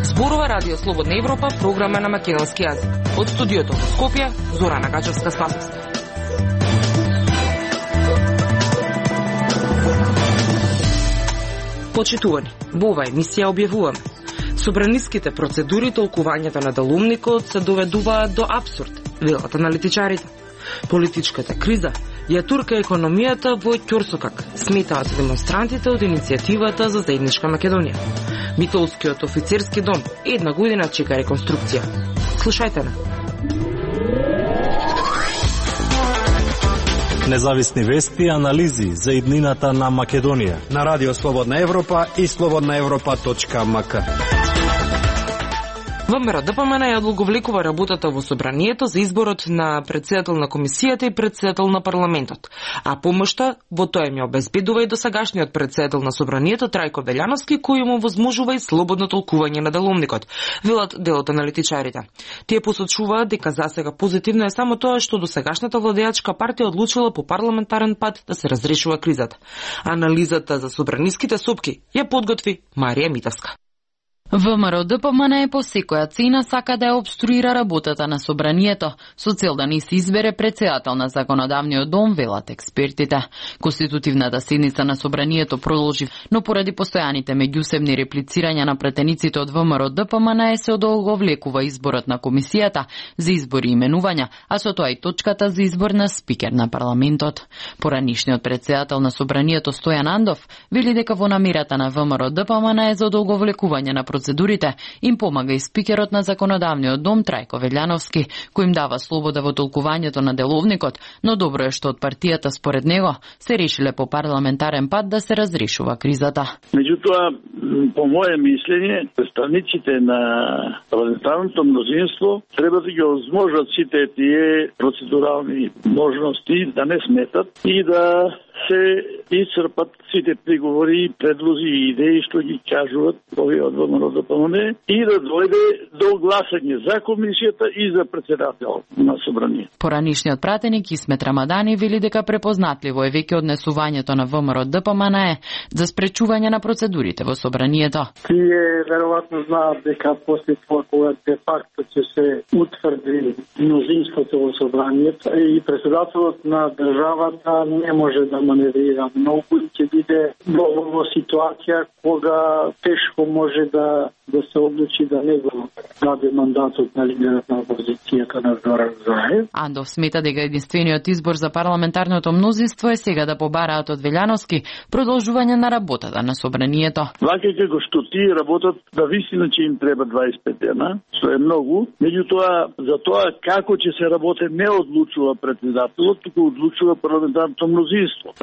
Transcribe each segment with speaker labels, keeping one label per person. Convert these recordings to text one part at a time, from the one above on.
Speaker 1: Зборува Радио Слободна Европа, програма на македонски јазик. Од студиото во Скопје, Зорана Гачевска-Спасовска. Почитувани, во оваа емисија објавуваме: собраниските процедури, толкувањето на делумникот се доведуваат до апсурд, велат аналитичарите. Политичката криза ја турка економијата во ќорсокак, сметаат демонстрантите од иницијативата за заедничка Македонија. Митолскиот офицерски дом една година чека реконструкција. Слушајте на.
Speaker 2: Независни вести и анализи за иднината на Македонија
Speaker 3: на Радио Слободна Европа и slobodnaevropa.mk.
Speaker 1: ВМРО ДПМН ја одлаговлекува работата во собранието за изборот на претседател на комисијата и претседател на парламентот, а помошта во тоа им ја обезбедува и досегашниот претседател на собранието Трајко Велјановски, кој му возможува и слободно толкување на деловникот, велат дел од аналитичарите. Тие посочуваат дека засега позитивно е само тоа што досегашната владеачка партија одлучила по парламентарен пат да се разрешува кризата. Анализата за собраниските сопки ја подготви Марија Митевска.
Speaker 4: ВМРО ДПМН по секоја цена сака да ја обструира работата на собранието, со цел да не се избере претседател на законодавниот дом, велат експертите. Конститутивната седница на собранието продолжи, но поради постојаните меѓусебни реплицирања на претениците од ВМРО ДПМН се одолговлекува изборот на комисијата за избори и именувања, а со тоа и точката за избор на спикер на парламентот. Поранишниот претседател на собранието Стојан Андов вели дека во намерата на ВМРО ДПМН е за одолговлекување на процедурите им помага и спикерот на законодавниот дом Трајко Велјановски, кој им дава слобода во толкувањето на деловникот, но добро е што од партијата според него се решиле по парламентарен пат да се разрешува кризата.
Speaker 5: Меѓутоа, по моје мислење, представниците на парламентарното мнозинство треба да ги овозможат сите тие процедурални можности да не сметат и да се исцрпат сите приговори, предлози и идеи што ги кажуваат овие од ВМРО ДПМН и да дојде до гласање за комисијата и за претседател на собрание.
Speaker 4: Поранишниот пратеник Исмет Рамадани вели дека препознатливо е веќе однесувањето на ВМРО ДПМН за спречување на процедурите во собранието.
Speaker 6: Тие веројатно знаат дека после тоа кога де факто ќе се утврди мнозинството во собранието и претседателот на државата не може да маневрира многу и ќе биде во ситуација кога тешко може да се одлучи да не го даде мандатот на лидерот на опозицијата на Зоран Заев.
Speaker 4: Андов смета дека единствениот избор за парламентарното мнозинство е сега да побараат од Велјановски продолжување на работата на собранието.
Speaker 5: Вака како што тие работат, да вистина че им треба 25 дена, што е многу, меѓутоа за тоа како ќе се работи не одлучува претседателот, туку одлучува парламентарното мнозинство.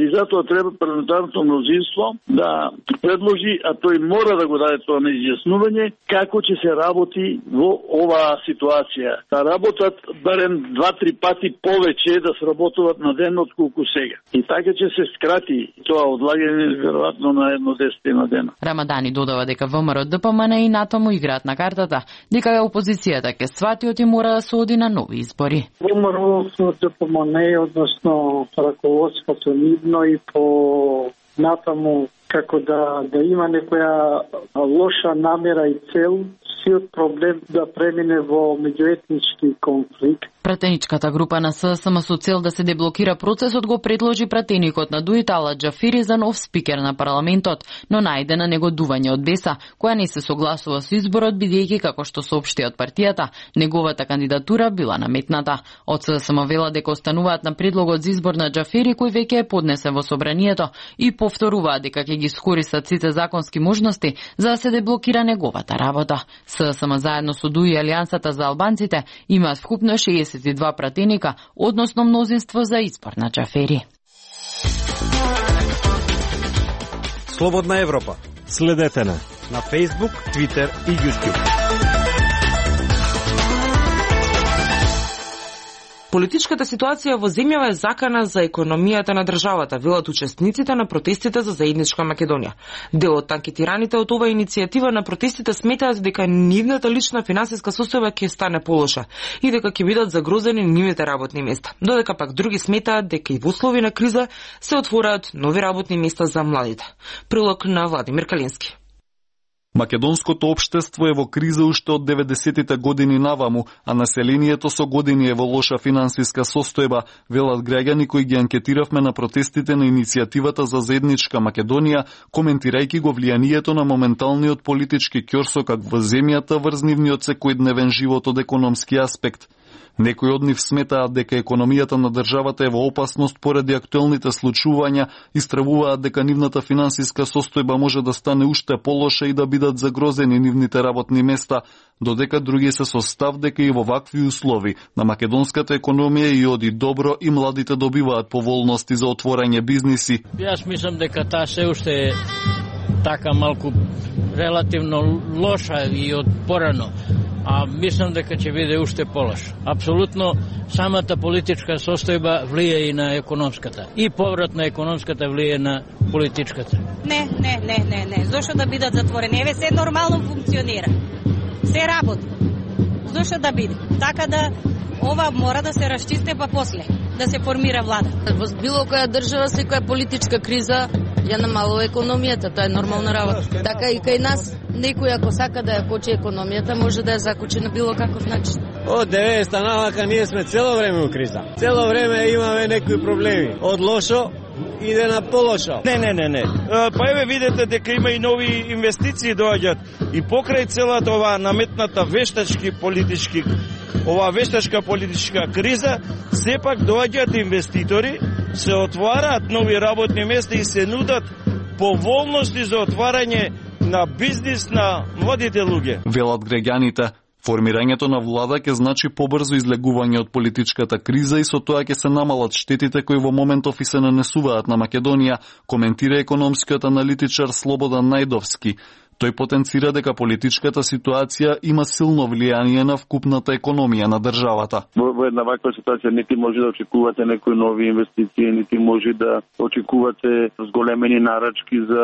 Speaker 5: И затоа треба парламентарното мнозинство да предложи, а тој мора да го даде тоа на изјаснување, како ќе се работи во оваа ситуација. Да работат барем 2-3 пати повеќе да сработуваат на ден отколку сега. И така ќе се скрати тоа одлагање веројатно на 10 дена.
Speaker 4: Рамадани додава дека ВМРО ДПМН и натаму играат на картата, дека опозицијата ќе свати и мора да се оди на нови избори.
Speaker 6: ВМРО ДПМН, односно раководството нивно и по натаму како да има некоја лоша намера и цел, сиот проблем да премине во меѓуетнички конфликт.
Speaker 4: Пратеничката група на ССМ со цел да се деблокира процесот го предложи пратеникот на Дуит Ала Џафири за нов спикер на парламентот, но најде на негодување од Беса, која не се согласува со изборот, бидејќи како што соопшти од партијата, неговата кандидатура била наметната. Од ССМ вела дека остануваат на предлогот за избор на Џафири, кој веќе е поднесен во собранието, и повторуваат дека ќе ги искористат сите законски можности за да се деблокира неговата работа. ССМ заедно со ДУИ и Алијансата за албанците имаат вкупно 62 пратеника, односно мнозинство за избор на Џафери.
Speaker 3: Слободна Европа.
Speaker 2: Следете на
Speaker 3: Facebook, Twitter и YouTube.
Speaker 1: Политичката ситуација во земјава е закана за економијата на државата, велат учесниците на протестите за заедничка Македонија. Дел од анкетираните од оваа иницијатива на протестите сметаат дека нивната лична финансиска состојба ќе стане полоша и дека ќе бидат загрозени нивните работни места. Додека пак други сметаат дека и во услови на криза се отвораат нови работни места за младите. Прилог на Владимир Калински.
Speaker 7: Македонското општество е во криза уште од 90-тите години наваму, а населението со години е во лоша финансиска состојба, велат граѓани кои ги анкетиравме на протестите на иницијативата за заедничка Македонија, коментирајќи го влијанието на моменталниот политички ќорсокак во земјата врз нивниот секојдневен живот од економски аспект. Некои од нив сметаат дека економијата на државата е во опасност поради актуелните случувања и стравуваат дека нивната финансиска состојба може да стане уште полоша и да бидат загрозени нивните работни места, додека други се со став дека и во вакви услови на македонската економија и оди добро и младите добиваат поволности за отворање бизниси.
Speaker 8: Јас мислам дека таа се уште е така малку релативно лоша и од порано. А мислам дека ќе биде уште полош. Апсолутно самата политичка состојба влие и на економската. И поврат на економската влие на политичката.
Speaker 9: Не. Зошто да бидат затворени? Еве се нормално функционира. Се работи. Зошто да биде? Така да ова мора да се расчисти па после да се формира влада.
Speaker 10: Во било која држава секоја политичка криза ја намалува економијата, тоа е нормална работа. Така и кај нас, некој ако сака да ја кочи економијата, може да ја закочи на било каков начин.
Speaker 11: Од 90-та навака ние сме цело време у криза. Цело време имаме некои проблеми. Од лошо иде на полошо.
Speaker 12: Не. Па еве видите дека има и нови инвестиции доаѓаат и покрај целата оваа наметната вештачка политичка криза, сепак доаѓаат инвеститори, се отвараат нови работни места и се нудат поволности за отварање на бизнис на младите луѓе.
Speaker 7: Велат граѓаните. Формирањето на влада ќе значи побрзо излегување од политичката криза и со тоа ќе се намалат штетите кои во моментов и се нанесуваат на Македонија, коментира економскиот аналитичар Слободан Најдовски. Тој потенцира дека политичката ситуација има силно влијание на вкупната економија на државата.
Speaker 5: Во една ваква ситуација нити може да очекувате некои нови инвестиции, нити може да очекувате зголемени нарачки за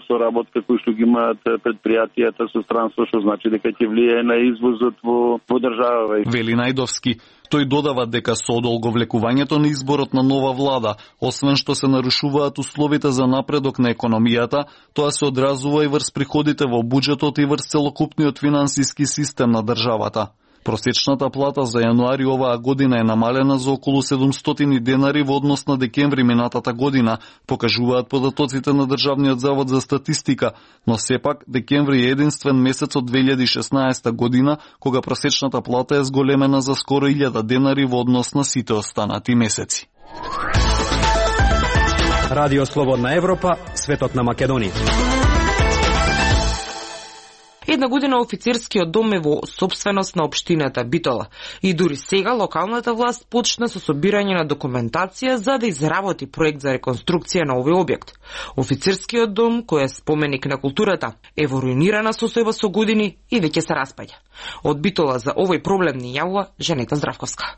Speaker 5: соработка кои што ги имаат предпријатијата со странство, што значи дека ќе влијае на извозот во држава.
Speaker 7: Вели Најдовски. Тој додава дека со одолговлекувањето на изборот на нова влада, освен што се нарушуваат условите за напредок на економијата, тоа се одразува и врз приходите во буџетот и врз целокупниот финансиски систем на државата. Просечната плата за јануари оваа година е намалена за околу 700 денари во однос на декември минатата година, покажуваат податоците на Државниот завод за статистика, но сепак декември е единствен месец од 2016 година, кога просечната плата е зголемена за скоро 1000 денари во однос на сите останати месеци.
Speaker 3: Радио Слободна Европа, светот на Македонија.
Speaker 1: Една година офицерскиот дом е во сопственост на општината Битола и дури сега локалната власт почна со собирање на документација за да изработи проект за реконструкција на овој објект. Офицерскиот дом, кој е споменик на културата, е во руинирана состојба со години и веќе се распаѓа. Од Битола за овој проблем ни јавува Жанета Здравковска.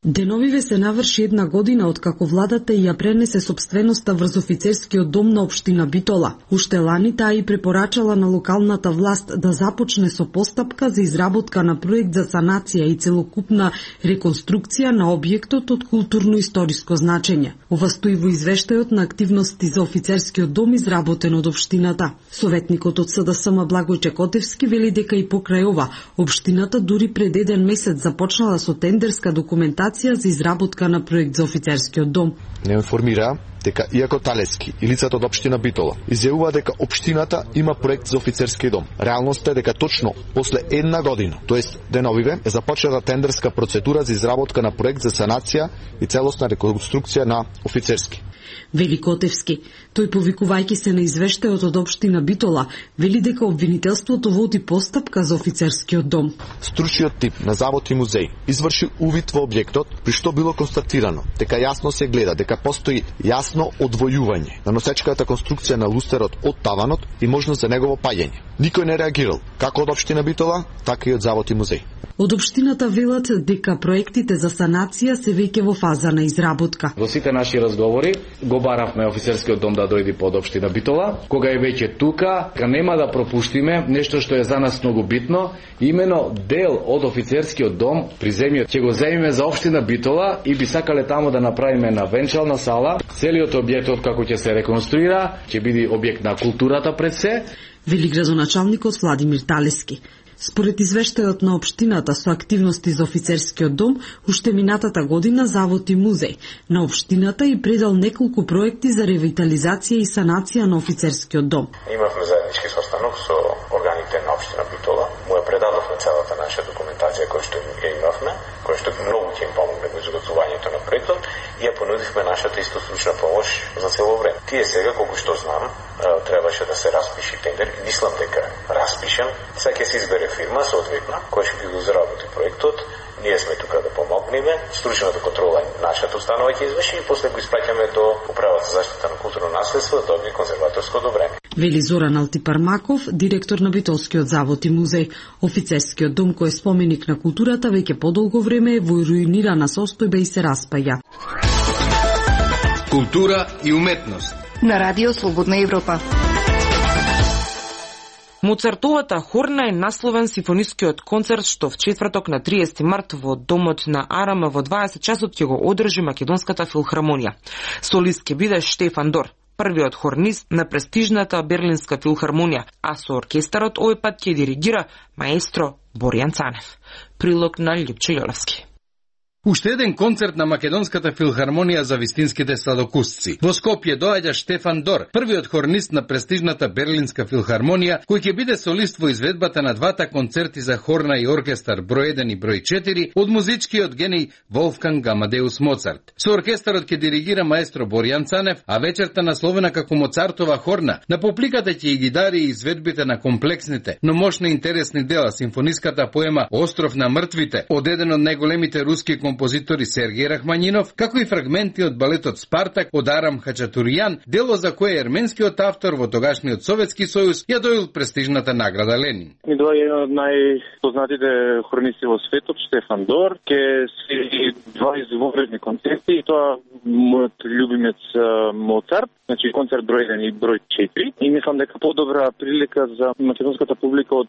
Speaker 13: Деновиве се наврши една година откако владата ја пренесе сопственоста врз офицерскиот дом на општина Битола. Уште лани таа и препорачала на локалната власт да започне со постапка за изработка на проект за санација и целокупна реконструкција на објектот од културно-историско значење. Ова стои во извештајот на активности за офицерскиот дом изработен од општината. Советникот од СДСМ Благој Чекотевски вели дека и покрај ова, општината дури пред еден месец започнала со тендерска документација за изработка на проект за офицерскиот дом.
Speaker 14: Не информира дека иако Талески и лицата од општина Битола изјавува дека општината има проект за офицерски дом. Реалноста е дека точно после една година, тоест деновиве, е започната тендерска процедура за изработка на проект за санација и целосна реконструкција на офицерски.
Speaker 13: Вели Котевски. Тој повикувајќи се на извештајот од општина Битола, вели дека обвинителството води постапка за офицерскиот дом.
Speaker 14: Стручниот тип на завод и музеј изврши увид во објектот, при што било констатирано дека јасно се гледа дека постои јасно одвојување на носечката конструкција на лустерот од таванот и можност за негово паѓање. Никој не реагирал, како од општина Битола, така и од Завод и музеј.
Speaker 13: Од општината велат дека проектите за санација се веќе во фаза на изработка.
Speaker 15: Во сите наши разговори го баравме офицерскиот дом да дојде под општина Битола, кога е веќе тука, нема да пропуштиме нешто што е за нас многу битно, имено дел од офицерскиот дом при земјот ќе го земиме за општина Битола и би сакале таму да направиме на венчална сала. Целиот објектот како ќе се реконструира, ќе биде објект на културата пред се.
Speaker 13: Вели градоначалникот Владимир Талески. Според извештајот на општината со активности за офицерскиот дом, уште минатата година Завод и музеј на општината и предал неколку проекти за ревитализација и санација на офицерскиот дом.
Speaker 16: Имавме заеднички состанок со органите на општина Битола. Му ја предадовме целата наша документација која што ја имавме, која што многу ќе им помогне во изготвувањето на проектот и ја понудивме нашата исто стручна помош за цело време. Тие сега, колку што знам, требаше да се распиши тендер и мислам дека распишен. Сега ќе се избере фирма соодветна која ќе го заработи проектот. Ние сме тука да помогнеме, стручната контрола нашата установа ќе изврши и после го испраќаме до Управата за заштита на културно наследство да добие конзерваторско одобрение.
Speaker 13: Вели Зоран Алтипармаков, директор на Битолскиот завод и музеј. Офицерскиот дом кој е споменик на културата веќе подолго време е во руинирана состојба и се распаја.
Speaker 17: Култура и уметност
Speaker 18: на Радио Слободна Европа.
Speaker 1: Моцартовата хорна е насловен симфонискиот концерт што в четврток на 30 март во домот на АРМ во 20 часот ќе го одржи Македонската филхармонија. Солист ќе биде Штефан Дор, првиот хорнист на престижната Берлинска филхармонија, а со оркестарот овој пат ќе диригира маестро Боријан Цанев. Прилог на Лјупчо Јолевски.
Speaker 17: Уште еден концерт на Македонската филхармонија за вистинските сладокусци. Во Скопје доаѓа Штефан Дор, првиот хорнист на престижната Берлинска филхармонија, кој ќе биде солист во изведбата на двата концерти за хорна и оркестар број 1 и број 4 од музичкиот гений Волфганг Амадеус Моцарт. Со оркестарот ќе диригира маестро Боријан Цанев, а вечерта насловена како Моцартова хорна, на публиката ќе ги дари изведбите на комплексните, но мощни интересни дела, симфониската поема Остров на мртвите, од еден од најголемите руски композитори Сергеј Рахманинов, како и фрагменти од балетот Спартак од Арам Хачатурјан, дело за кое ерменскиот автор во тогашниот Советски сојуз ја доил престижната награда Ленин.
Speaker 19: Ми доаѓа еден од најпознатите хорнисти во светот, Штефан Дор, ке свири два извонредни концерти и тоа мојот љубимец Моцарт, значи концерт број 1 и број 4. И мислам дека подобра прилика за македонската публика од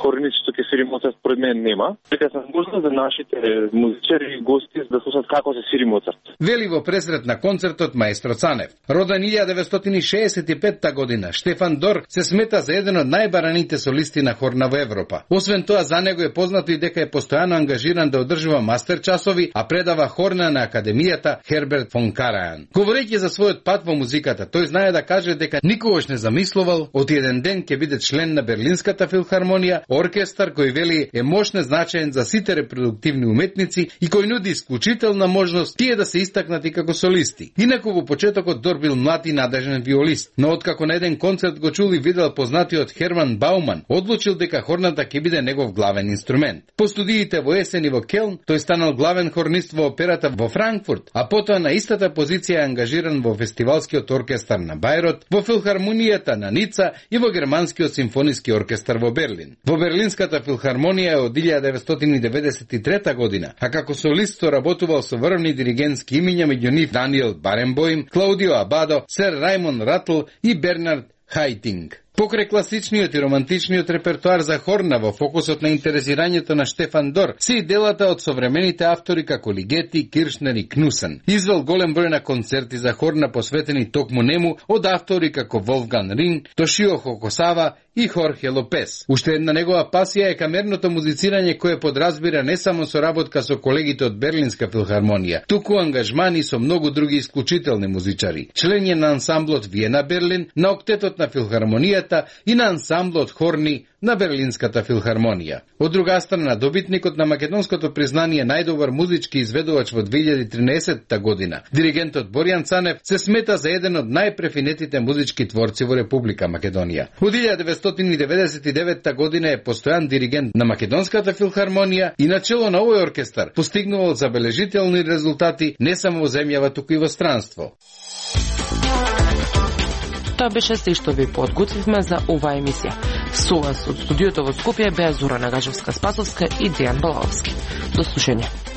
Speaker 19: хорнист што ќе свири Моцарт според мен нема. Дека се можна за нашите музичари и гости да слушнат како се свири Моцарт.
Speaker 17: Вели во пресрет на концертот маестро Цанев. Роден 1965 година, Штефан Дор се смета за еден од најбараните солисти на хорна во Европа. Освен тоа, за него е познато и дека е постојано ангажиран да одржува мастер часови, а предава хорна на Академијата Херберт фон Карајан. Говорејќи за својот пат во музиката, тој знае да каже дека никогаш не замислувал од еден ден ќе биде член на Берлинската филхармонија, оркестар кој вели е мощно значаен за сите репродуктивни уметници и кој нуди исклучителна можност тие да се истакнати како солисти. Инаку во почетокот Дор бил млад и надежен виолист, но откако на еден концерт го чул и видел познатиот Херман Бауман, одлучил дека хорната ќе биде негов главен инструмент. По студиите во есен и во Келн, тој станал главен хорнист во операта во Франкфурт, а потоа на истата позиција е ангажиран во фестивалскиот оркестар на Бајрот, во филхармонијата на Ница и во германскиот симфониски оркестар во Берлин. Во Берлинската филхармонија од 1993 година, а како солист работувал со врвни диригентски имиња, меѓу нив Даниел Баренбоим, Клаудио Абадо, Сер Раймон Ратл и Бернард Хайтинг. Покрај класичниот и романтичниот репертоар за хорна во фокусот на интересирањето на Штефан Дор се и делата од современите автори како Лигети, Киршнер и Кнусен. Извел голем број на концерти за хорна посветени токму нему од автори како Волфган Рин, Тошио Хокосава и Хорхе Лопес. Уште една негова пасија е камерното музицирање кое подразбира не само соработка со колегите од Берлинска филхармонија, туку ангажмани со многу други исклучителни музичари. Член е на ансамблот Виена Берлин, на октетот на филхармонијата и на ансамблот хорни на Берлинската филхармонија. Од друга страна, добитникот на македонското признание најдобар музички изведувач во 2013 година, диригентот Боријан Цанев, се смета за еден од најпрефинетите музички творци во Република Македонија. Од 1999 година е постојан диригент на Македонската филхармонија и начело на овој оркестар постигнувал забележителни резултати не само во земјава, туку и во странство.
Speaker 1: тоа беше се што ви подготвивме за оваа емисија. Со вас од студиото во Скопје беа Зора Нагажевска-Спасовска и Дејан Балаовски. До слушање.